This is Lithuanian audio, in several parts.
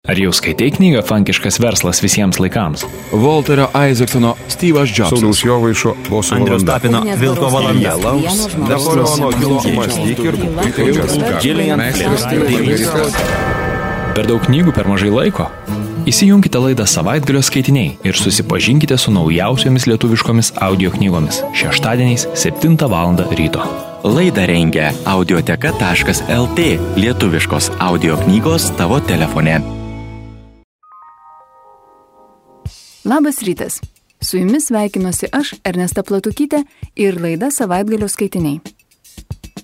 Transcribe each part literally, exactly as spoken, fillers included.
Ar jau skaitai knygą Fankiškas verslas visiems laikams? Walterio Isaacsono Steve'as Jobsas. Sauliaus Jovaišo Boso Andriaus valanda. Tapino Vilko valanda. Napoleono Hilo mąstyk ir Per daug knygų per mažai laiko? Įsijunkite laidą Savaitgalio skaitiniai ir susipažinkite su naujausiomis lietuviškomis audio knygomis šeštadieniais septintą valandą ryto. Laidą rengia audioteka taškas lt, lietuviškos audio knygos tavo telefone. Labas rytas. Su jumis sveikinuosi aš, Ernesta Platukytė, ir laida Savaitgalio skaitiniai.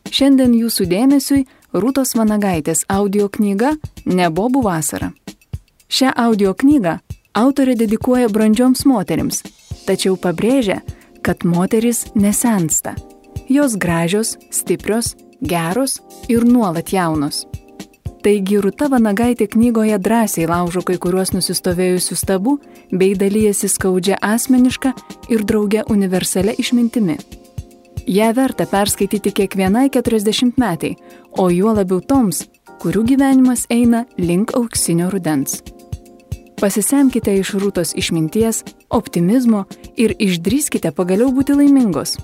Šiandien jūsų dėmesiui Rūtos Vanagaitės audio knyga Nebobų vasara. Šią audio knygą autorė dedikuoja brandžioms moterims, tačiau pabrėžia, kad moterys nesensta. Jos gražios, stiprios, geros ir nuolat jaunos. Taigi Rūta Vanagaitė knygoje drąsiai laužo kai kuriuos nusistovėjusius tabų bei dalyjasi skaudžia asmeniška ir drauge universalia išmintimi. Ją verta perskaityti kiekvienai keturiasdešimtmetei, o juo labiau toms, kurių gyvenimas eina link auksinio rudens. Pasisemkite iš Rūtos išminties, optimizmo ir išdrįskite pagaliau būti laimingos.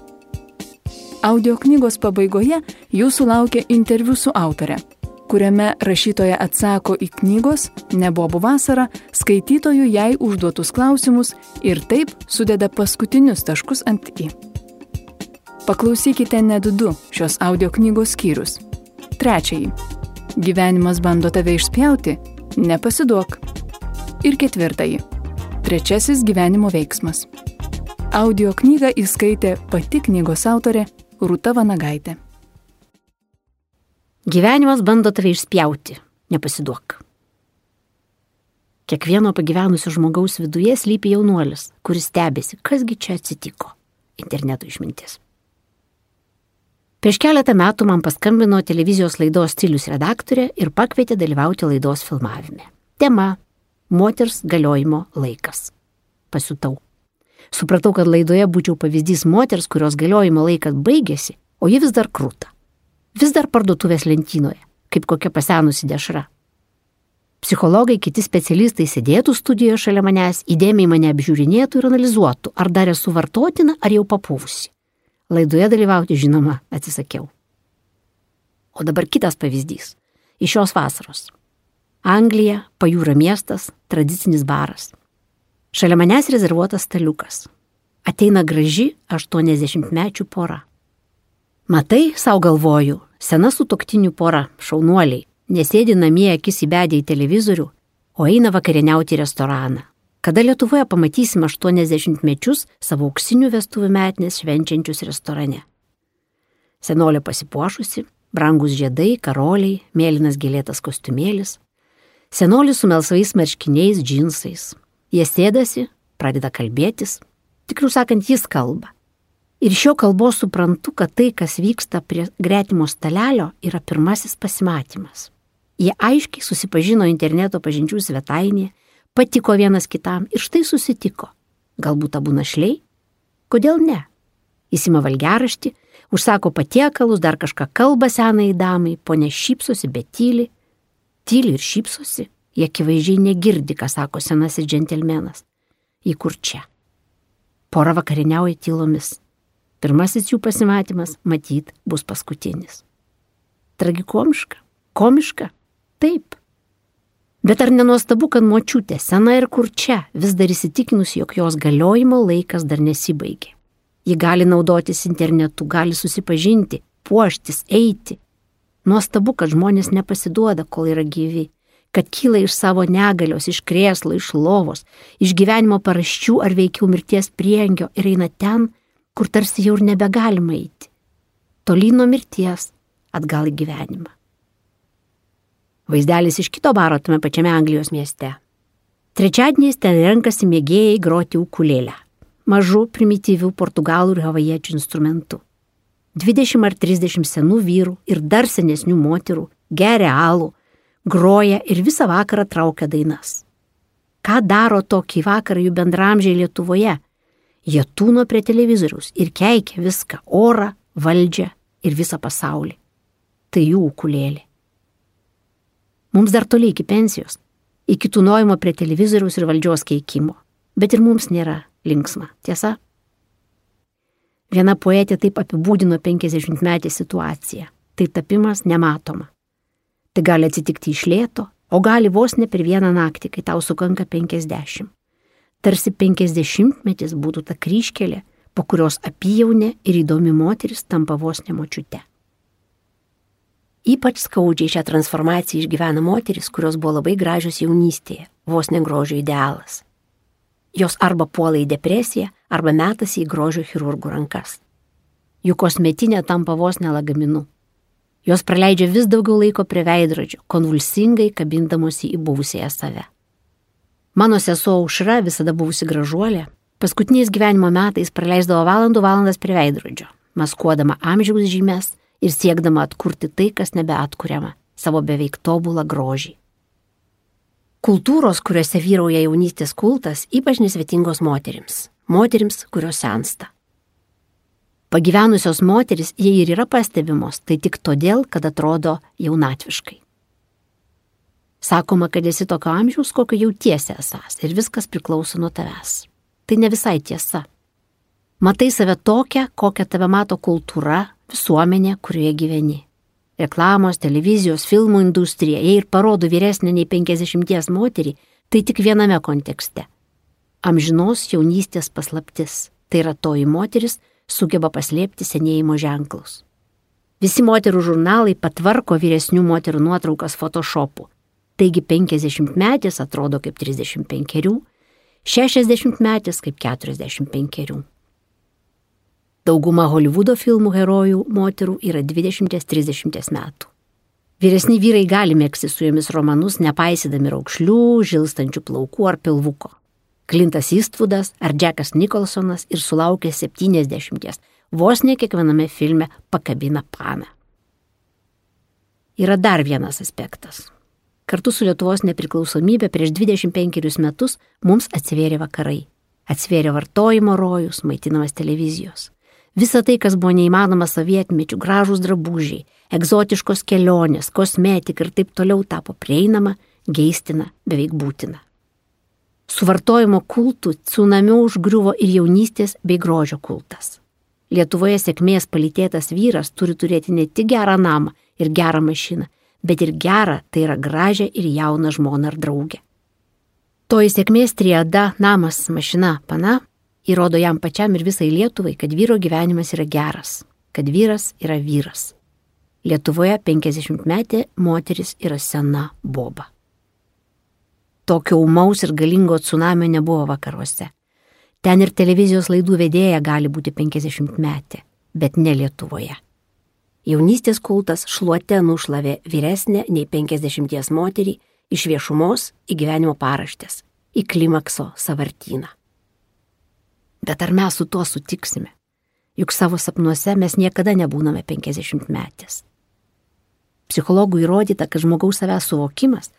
Audio knygos pabaigoje jūsų laukia interviu su autore, kuriame rašytoja atsako į knygos Nebobų vasara skaitytojų jai užduotus klausimus ir taip sudeda paskutinius taškus ant i. Paklausykite net du šios audio knygos skyrius. Trečiąjį. Gyvenimas bando tave išspjauti, nepasiduok. Ir ketvirtąjį. Trečiasis gyvenimo veiksmas. Audio knygą įskaitė pati knygos autorė Rūta Vanagaitė. Gyvenimas bando tave išspjauti, nepasiduok. Kiekvieno pagyvenusio žmogaus viduje slypi jaunuolis, kuris stebėsi, kasgi čia atsitiko. Interneto išmintis. Prieš keletą metų man paskambino televizijos laidos Stilius redaktorė ir pakvietė dalyvauti laidos filmavime. Tema – moters galiojimo laikas. Pasiutau. Supratau, kad laidoje būčiau pavyzdys moters, kurios galiojimo laikas baigėsi, o ji vis dar krūta. Vis dar parduotuvės lentynoje, kaip kokia pasenusi dešra. Psichologai, kiti specialistai sėdėtų studijoje šalia manęs, įdėmiai mane apžiūrinėtų ir analizuotų, ar dar esu vartotina, ar jau papuvusi. Laidoje dalyvauti, žinoma, atsisakiau. O dabar kitas pavyzdys. Iš šios vasaros. Anglija, pajūrio miestas, tradicinis baras. Šalia manęs rezervuotas staliukas. Ateina graži aštuoniasdešimtmečių pora. Matai, sau galvoju, sena sutuoktinių pora, šaunuoliai, nesėdi namie akis įbedę į televizorių, o eina vakarieniauti į restoraną. Kada Lietuvoje pamatysime aštuoniasdešimtmečius savo auksinių vestuvių metinės švenčiančius restorane. Senolė pasipuošusi, brangus žiedai, karoliai, mėlynas gėlėtas kostiumėlis. Senolis su melsvais marškiniais, džinsais. Jie sėdasi, pradeda kalbėtis, tikriau sakant, jis kalba. Ir šio kalbos suprantu, kad tai, kas vyksta prie gretimo stalelio, yra pirmasis pasimatymas. Jie aiškiai susipažino interneto pažinčių svetainėje, patiko vienas kitam ir štai susitiko. Galbūt abu našliai? Kodėl ne? Įsima valgiaraštį, užsako patiekalus, dar kažką kalba senai damai, ponia šypsosi, bet tyli. Tyli ir šypsosi, jie akivaizdžiai negirdi, ką sako senasis džentelmenas. Į kur čia? Pora vakarieniauja tylomis. Pirmasis jų pasimatymas, matyt, bus paskutinis. Tragikomiška? Komiška? Taip. Bet ar nenuostabu, kad močiutė, sena ir kurčia, vis dar įsitikinus, jog jos galiojimo laikas dar nesibaigė. Ji gali naudotis internetu, gali susipažinti, puoštis, eiti. Nuostabu, kad žmonės nepasiduoda, kol yra gyvi, kad kyla iš savo negalios, iš krėslo, iš lovos, iš gyvenimo paraščių ar veikiau mirties prieangio ir eina ten, kur tarsi jau ir nebegalima eiti. Tolyn nuo mirties, atgal į gyvenimą. Vaizdelis iš kito baro tame pačiame Anglijos mieste. Trečiadieniais ten renkasi mėgėjai groti ukulėlę, mažų primityvių portugalų ir havajiečių instrumentų. Dvidešimt ar trisdešimt senų vyrų ir dar senesnių moterų geria alų, groja ir visą vakarą traukia dainas. Ką daro tokį vakarą jų bendramžiai Lietuvoje? Jie tūno prie televizoriaus ir keikia viską, orą, valdžią ir visą pasaulį. Tai jų ukulėlė. Mums dar toli iki pensijos. iki tūnojimo prie televizoriaus ir valdžios keikimo. Bet ir mums nėra linksma, tiesa? Viena poetė taip apibūdino penkiasdešimtmetę situaciją. Tai tapimas nematoma. Tai gali atsitikti iš lėto, o gali vos ne per vieną naktį, kai tau sukanka penkiasdešimt. Tarsi penkiasdešimtmetis būtų ta kryžkelė, po kurios apyjaunė ir įdomi moteris tampa vos ne močiute. Ypač skaudžiai šią transformaciją išgyvena moteris, kurios buvo labai gražios jaunystėje, vos ne grožio idealas. Jos arba puola į depresiją, arba metasi į grožio chirurgų rankas. Jų kosmetinė tampa vos ne lagaminu. Jos praleidžia vis daugiau laiko prie veidrodžio, konvulsingai kabindamosi į buvusiąją save. Mano sesuo Aušra, visada buvusi gražuolė, paskutiniais gyvenimo metais praleisdavo valandų valandas prie veidrodžio, maskuodama amžiaus žymes ir siekdama atkurti tai, kas nebeatkuriama, savo beveik tobulą grožį. Kultūros, kuriuose vyrauja jaunystės kultas, ypač nesvetingos moterims, moterims, kurios sensta. Pagyvenusios moteris, jei ir yra pastebimos, tai tik todėl, kad atrodo jaunatviškai. Sakoma, kad esi tokio amžiaus, kokio jautiesi esas ir viskas priklauso nuo tavęs. Tai ne visai tiesa. Matai save tokią, kokią tave mato kultūra, visuomenė, kurioje gyveni. Reklamos, televizijos, filmų industrija, jei ir parodo vyresnę nei penkiasdešimties moterį, tai tik viename kontekste. Amžinos jaunystės paslaptis. Tai yra toji moteris, sugeba paslėpti senėjimo ženklus. Visi moterų žurnalai patvarko vyresnių moterų nuotraukas photoshopu. Taigi penkiasdešimtmetis atrodo kaip trisdešimt penkerių, šešiasdešimtmetis kaip keturiasdešimt penkerių. Dauguma Holivudo filmų herojų moterų yra dvidešimt trisdešimt metų. Vyresni vyrai gali megzti su jomis romanus, nepaisydami raukšlių, žilstančių plaukų ar pilvuko. Clintas Eastwoodas ar Jackas Nicholsonas ir sulaukė septyniasdešimties, vos ne kiekviename filme pakabina paną. Yra dar vienas aspektas. Kartu su Lietuvos nepriklausomybė prieš dvidešimt penkerius metus mums atsivėrė vakarai. Atsivėrė vartojimo rojus, maitinamas televizijos. Visa tai, kas buvo neįmanoma sovietmečių, gražūs drabužiai, egzotiškos kelionės, kosmetika ir taip toliau tapo prieinama, geistina, beveik būtina. Su vartojimo kultu tsunamiu užgriuvo ir jaunystės bei grožio kultas. Lietuvoje sėkmės palytėtas vyras turi turėti ne tik gerą namą ir gerą mašiną, bet ir gerą, tai yra gražią ir jauną žmoną ar draugę. Toji sėkmės triada namas, mašina, pana įrodo jam pačiam ir visai Lietuvai, kad vyro gyvenimas yra geras, kad vyras yra vyras. Lietuvoje penkiasdešimtmetė moteris yra sena boba. Tokio ūmaus ir galingo tsunamio nebuvo vakaruose. Ten ir televizijos laidų vedėja gali būti penkiasdešimtmetė, bet ne Lietuvoje. Jaunystės kultas šluote nušlavė vyresnę nei penkiasdešimties moterį iš viešumos į gyvenimo paraštės, į klimakso sąvartyną. Bet ar mes su tuo sutiksime? Juk savo sapnuose mes niekada nebūname penkiasdešimtmetės. Psichologų įrodyta, kad žmogaus savęs suvokimas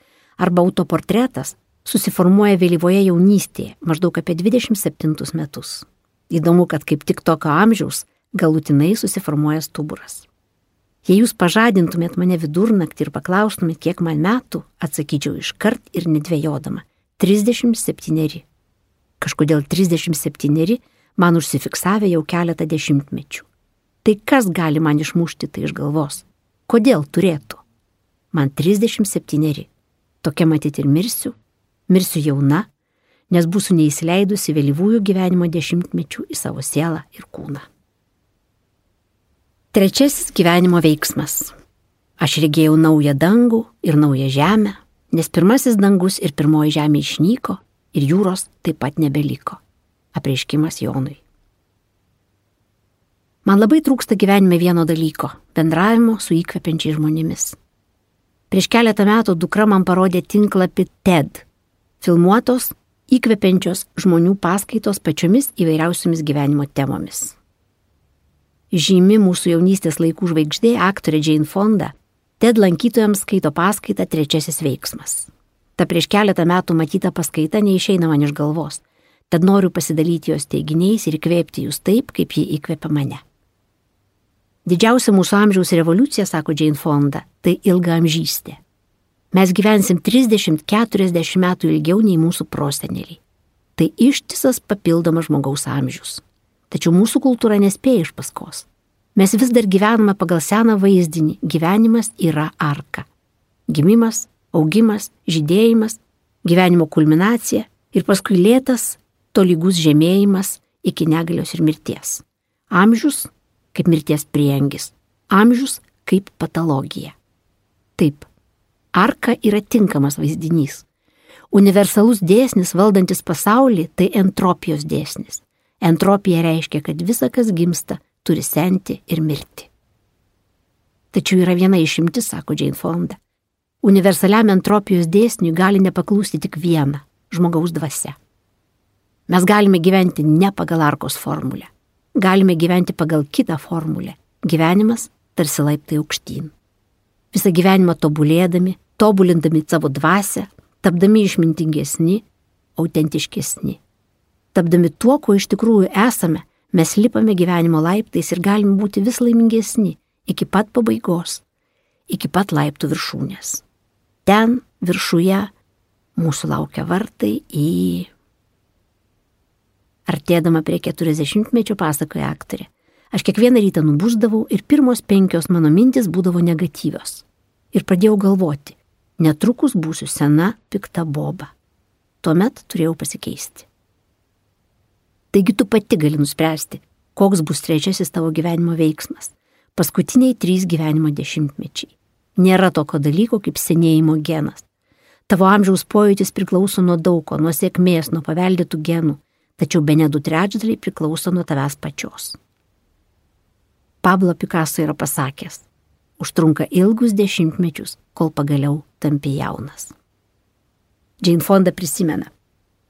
arba autoportretas susiformuoja vėlyvoje jaunystėje, maždaug apie dvidešimt septintus metus. Įdomu, kad kaip tik tokio amžiaus galutinai susiformuoja stuburas. Jei jūs pažadintumėt mane vidurnaktį ir paklaustumėt, kiek man metų, atsakyčiau iškart ir nedvejodama – trisdešimt septyneri. Kažkodėl trisdešimt septyneri man užsifiksavę jau keletą dešimtmečių. Tai kas gali man išmušti tai iš galvos? Kodėl turėtų? Man trisdešimt septyneri. Tokia matyti ir mirsiu, mirsiu jauna, nes būsiu neįsileidusi vėlyvųjų gyvenimo dešimtmečių į savo sielą ir kūną. Trečiasis gyvenimo veiksmas. Aš regėjau naują dangų ir naują žemę, nes pirmasis dangus ir pirmoji žemė išnyko ir jūros taip pat nebeliko. Apreiškimas Jonui. Man labai trūksta gyvenime vieno dalyko – bendravimo su įkvepiančiais žmonėmis. Prieš keletą metų dukra man parodė tinklapį TED, filmuotos, įkvepiančios žmonių paskaitos pačiomis įvairiausiomis gyvenimo temomis. Žymi mūsų jaunystės laikų žvaigždė, aktorė Jane Fonda, TED lankytojams skaito paskaitą Trečiasis veiksmas. Ta prieš keletą metų matyta paskaita neišeina man iš galvos, tad noriu pasidalyti jos teiginiais ir įkvėpti jūs taip, kaip ji įkvėpia mane. Didžiausia mūsų amžiaus revoliucija, sako Jane Fonda, tai ilgaamžystė. Mes gyvensim trisdešimt keturiasdešimt metų ilgiau nei mūsų proseneliai. Tai ištisas papildomas žmogaus amžius. Tačiau mūsų kultūra nespėja iš paskos. Mes vis dar gyvename pagal seną vaizdinį. Gyvenimas yra arka. Gimimas, augimas, žydėjimas, gyvenimo kulminacija ir paskui lėtas, tolygus žemėjimas iki negalios ir mirties. Amžius kaip mirties prieangis. Amžius kaip patologija. Taip, arka yra tinkamas vaizdinys. Universalus dėsnis valdantis pasaulį tai entropijos dėsnis. Entropija reiškia, kad visa, kas gimsta, turi senti ir mirti. Tačiau yra viena išimtis, sako Jane Fonda. Universaliam entropijos dėsniui gali nepaklūsti tik viena – žmogaus dvasia. Mes galime gyventi ne pagal arkos formulę. Galime gyventi pagal kitą formulę. Gyvenimas tarsi laiptai aukštyn. Visą gyvenimą tobulėdami, tobulindami savo dvasią, tapdami išmintingesni, autentiškesni. Tapdami tuo, kuo iš tikrųjų esame, mes lipame gyvenimo laiptais ir galime būti vis laimingesni iki pat pabaigos, iki pat laiptų viršūnės. Ten, viršuje, mūsų laukia vartai į... Artėdama prie keturiasdešimtmečio pasakoja aktorė. Aš kiekvieną rytą nubusdavau ir pirmos penkios mano mintis būdavo negatyvios. Ir pradėjau galvoti, netrukus būsiu sena, pikta boba. Tuomet turėjau pasikeisti. Taigi tu pati gali nuspręsti, koks bus trečiasis tavo gyvenimo veiksmas. Paskutiniai trys gyvenimo dešimtmečiai. Nėra tokio dalyko kaip senėjimo genas. Tavo amžiaus pojūtis priklauso nuo daugo, nuo sėkmės, nuo paveldėtų genų, tačiau bene du trečdaliai priklauso nuo tavęs pačios. Pablo Picasso yra pasakęs, užtrunka ilgus dešimtmečius, kol pagaliau tampi jaunas. Jane Fonda prisimena,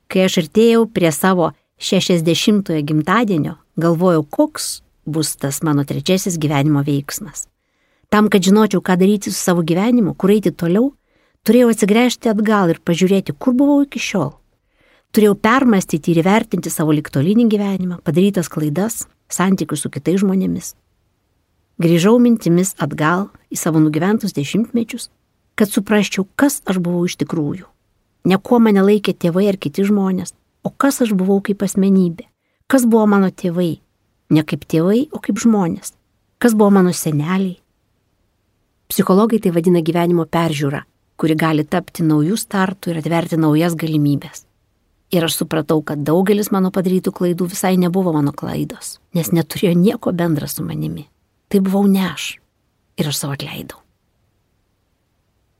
kai aš artėjau prie savo šešiasdešimtojo gimtadienio, galvojau, koks bus tas mano trečiasis gyvenimo veiksmas. Tam, kad žinočiau, ką daryti su savo gyvenimu, kur eiti toliau, turėjau atsigręžti atgal ir pažiūrėti, kur buvau iki šiol. Turėjau permastyti ir įvertinti savo ligtolinį gyvenimą, padarytas klaidas, santykius su kitais žmonėmis. Grįžau mintimis atgal į savo nugyventus dešimtmečius, kad suprasčiau, kas aš buvau iš tikrųjų. Ne kuo mane laikė tėvai ar kiti žmonės, o kas aš buvau kaip asmenybė. Kas buvo mano tėvai? Ne kaip tėvai, o kaip žmonės. Kas buvo mano seneliai? Psichologai tai vadina gyvenimo peržiūra, kuri gali tapti naujų startų ir atverti naujas galimybės. Ir aš supratau, kad daugelis mano padarytų klaidų visai nebuvo mano klaidos, nes neturėjo nieko bendra su manimi. Tai buvau ne aš. Ir aš savo atleidau.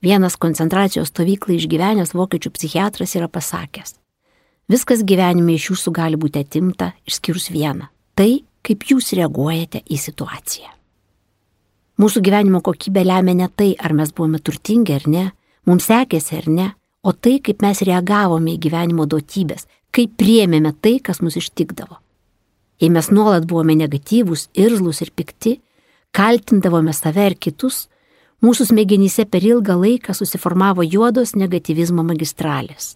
Vienas koncentracijos stovyklą išgyvenęs vokiečių psichiatras yra pasakęs, viskas gyvenime iš jūsų gali būti atimta, išskyrus vieną. Tai, kaip jūs reaguojate į situaciją. Mūsų gyvenimo kokybė lemia ne tai, ar mes buvome turtingi ar ne, mums sekėsi ar ne, o tai, kaip mes reagavome į gyvenimo duotybės, kaip priėmėme tai, kas mus ištikdavo. Jei mes nuolat buvome negatyvūs, irzlūs ir pikti, kaltindavome save ir kitus, mūsų smegenyse per ilgą laiką susiformavo juodos negatyvizmo magistralės.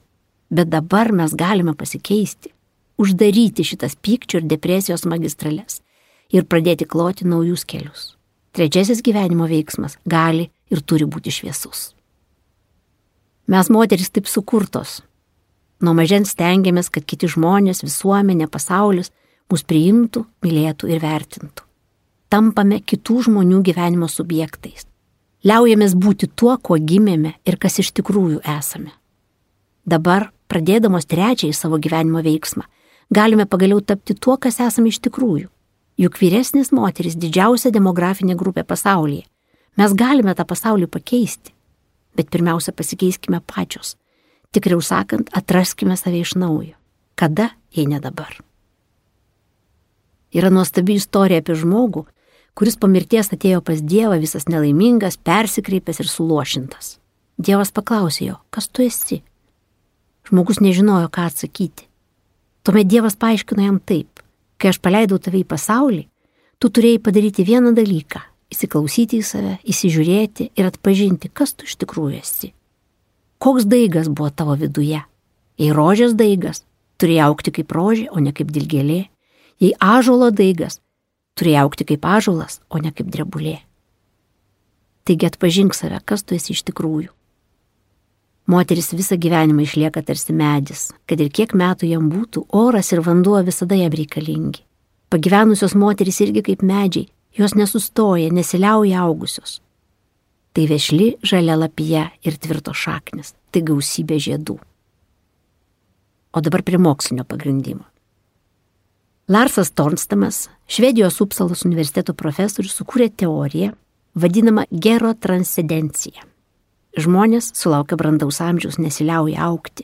Bet dabar mes galime pasikeisti, uždaryti šitas pykčio ir depresijos magistrales ir pradėti kloti naujus kelius. Trečiasis gyvenimo veiksmas gali ir turi būti šviesus. Mes moterys taip sukurtos. Nuo mažens stengiamės, kad kiti žmonės, visuomenė, pasaulis mus priimtų, mylėtų ir vertintų. Tampame kitų žmonių gyvenimo subjektais. Liaujamės būti tuo, kuo gimėme ir kas iš tikrųjų esame. Dabar, pradėdamos trečiąjį savo gyvenimo veiksmą, galime pagaliau tapti tuo, kas esame iš tikrųjų. Juk vyresnės moterys didžiausia demografinė grupė pasaulyje. Mes galime tą pasaulį pakeisti. Bet pirmiausia, pasikeiskime pačios. Tikriau sakant, atraskime save iš naujo. Kada, jei ne dabar? Yra nuostabi istorija apie žmogų, kuris po mirties atėjo pas Dievą visas nelaimingas, persikreipęs ir suluošintas. Dievas paklausė jo, kas tu esi? Žmogus nežinojo, ką atsakyti. Tuomet Dievas paaiškino jam taip, kai aš paleidau tave į pasaulį, tu turėjai padaryti vieną dalyką – įsiklausyti į save, įsižiūrėti ir atpažinti, kas tu iš tikrųjų esi. Koks daigas buvo tavo viduje? Jei rožės daigas, turėjai augti kaip rožė, o ne kaip dilgėlė. Jei ąžuolo daigas, turėjai augti kaip ąžuolas, o ne kaip drebulė. Taigi atpažink save, kas tu esi iš tikrųjų. Moteris visą gyvenimą išlieka tarsi medis, kad ir kiek metų jam būtų, oras ir vanduo visada jam reikalingi. Pagyvenusios moteris irgi kaip medžiai, jos nesustoja, nesiliauja augusios. Tai vešli žalia lapija ir tvirto šaknis, tai gausybė žiedų. O dabar prie mokslinio pagrindimo. Larsas Tornstamas, Švedijos Upsalos universiteto profesorius, sukūrė teoriją, vadinamą gerotranscendencija. Žmonės sulaukia brandaus amžiaus nesiliauja augti.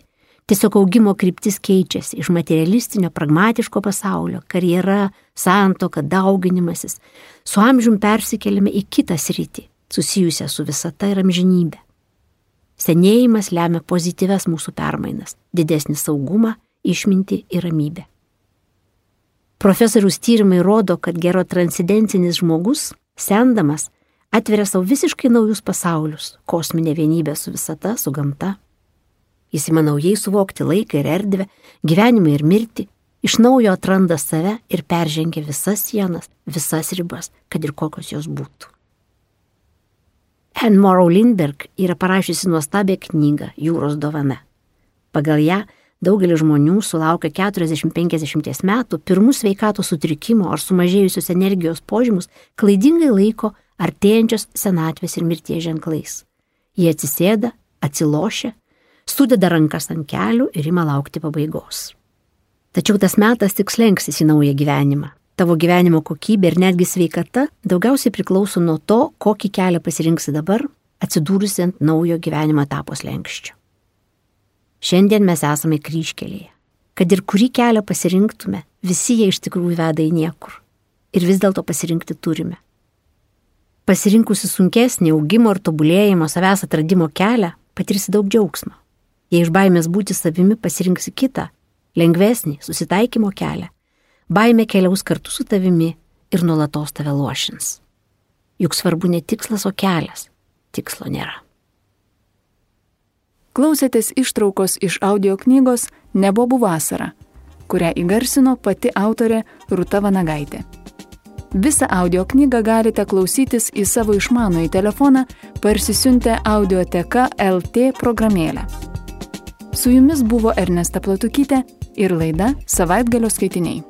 Tiesiog augimo kryptis keičiasi iš materialistinio, pragmatiško pasaulio, karjera, santuoka, dauginimasis. Su amžium persikeliame į kitą sritį, susijusią su visata ir amžinybė. Senėjimas lemia pozityves mūsų permainas, didesnį saugumą, išmintį ir ramybę. Profesoriaus tyrimai rodo, kad gerotranscendencinis žmogus, sendamas, atveria savo visiškai naujus pasaulius, kosminę vienybę su visata, su gamta. Jis ima naujai suvokti laiką ir erdvę, gyvenimą ir mirtį, iš naujo atranda save ir peržengia visas sienas, visas ribas, kad ir kokios jos būtų. Anne Morrow Lindbergh yra parašiusi nuostabią knygą Jūros dovana. Pagal ją daugelis žmonių sulaukia keturiasdešimt penkiasdešimt metų pirmus sveikatos sutrikimo ar sumažėjusios energijos požymus klaidingai laiko artėjančios senatvės ir mirties ženklais. Jie atsisėda, atsilošia, sudeda rankas ant kelių ir ima laukti pabaigos. Tačiau tas metas tik slenksis į naują gyvenimą. Tavo gyvenimo kokybė ir netgi sveikata daugiausiai priklauso nuo to, kokį kelią pasirinksi dabar, atsidūrusi ant naujo gyvenimo etapo slenkščio. Šiandien mes esame kryžkelėje. Kad ir kurį kelią pasirinktume, visi jie iš tikrųjų veda į niekur. Ir vis dėlto pasirinkti turime. Pasirinkusi sunkesnį augimo ir tobulėjimo savęs atradimo kelią, patirsi daug džiaugsmo. Jei iš baimės būti savimi pasirinksi kitą, lengvesnį susitaikymo kelią, baimė keliaus kartu su tavimi ir nuolatos tave lošins. Juk svarbu ne tikslas, o kelias. Tikslo nėra. Klausėtės ištraukos iš audio knygos Nebobų vasara, kurią įgarsino pati autorė Rūta Vanagaitė. Visą audio knygą galite klausytis į savo išmanųjį telefoną parsisiuntę Audioteka L T programėlę. Su jumis buvo Ernesta Platukytė ir laida Savaitgalio skaitiniai.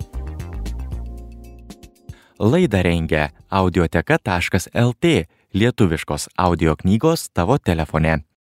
Laidą rengia audioteka taškas L T, lietuviškos audio knygos tavo telefone.